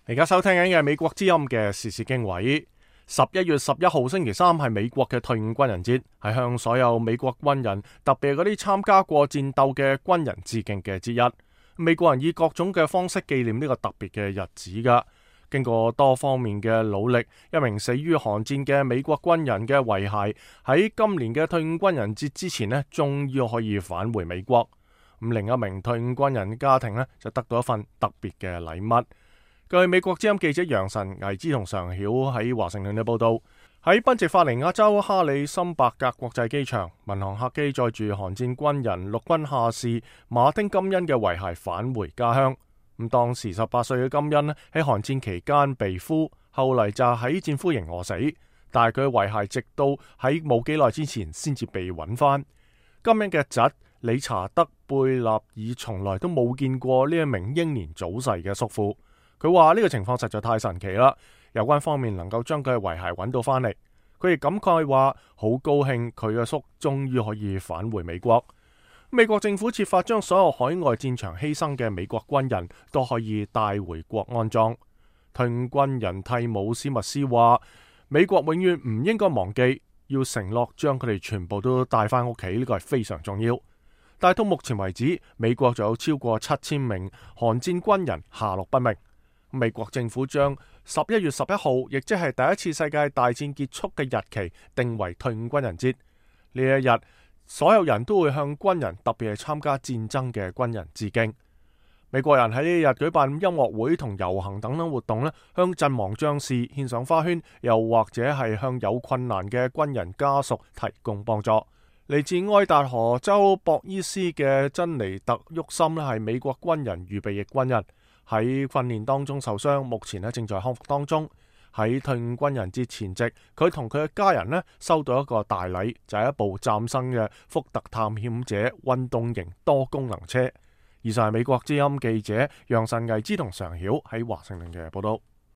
而家收聽緊嘅美國之音嘅時事經緯。11月11號星期三係美國嘅退伍軍人節，係向所有美國軍人，特別係嗰啲參加過戰鬥嘅軍人致敬嘅節日。美國人以各種嘅方式紀念呢個特別嘅日子噶。經過多方面嘅努力，一名死於韓戰嘅美國軍人嘅遺骸喺今年嘅退伍軍人節之前呢，終於可以返回美國。咁另一名退伍軍人家庭呢，就得到一份特別嘅禮物。據美國之音記者楊晨、魏之同常曉喺華盛頓嘅報道，喺賓夕法尼亞州哈里森伯格國際機場，民航客機載住韓戰軍人陸軍下士馬丁金恩嘅遺骸返回家鄉。咁當時18歲嘅金恩喺韓戰期間被俘，後嚟就喺戰俘營餓死，但係佢嘅遺骸直到喺冇幾耐之前先至被揾翻。金恩嘅侄理查德貝納爾從來都冇見過呢一名英年早逝嘅叔父。佢話呢個情況實在太神奇啦，有關方面能夠將佢嘅遺骸揾到翻嚟。佢亦感慨話好高興佢嘅叔終於可以返回美國。美國政府設法將所有海外戰場犧牲嘅美國軍人都可以帶回國安葬。退伍軍人蒂姆斯密斯話，美國永遠唔應該忘記，要承諾將佢哋全部都帶翻屋企，呢個係非常重要。但係到目前為止，美國就有超過7000名韓戰軍人下落不明。美國政府將11月11號，亦即係第一次世界大戰結束嘅日期，定為退伍軍人節。呢一日，所有人都會向軍人，特別係參加戰爭嘅軍人致敬。美國人喺呢一日舉辦音樂會同遊行等等活動咧，向陣亡將士獻上花圈，又或者係向有困難嘅軍人家屬提供幫助。嚟自愛達荷州博伊斯嘅珍妮特沃森咧，係美國軍人預備役軍人。喺訓練當中受傷，目前正在康復當中。喺退伍軍人節前夕，佢同佢嘅家人收到一個大禮，就係一部嶄新嘅福特探險者運動型多功能車。以上係美國之音記者楊晨毅之同常曉喺華盛頓嘅報道。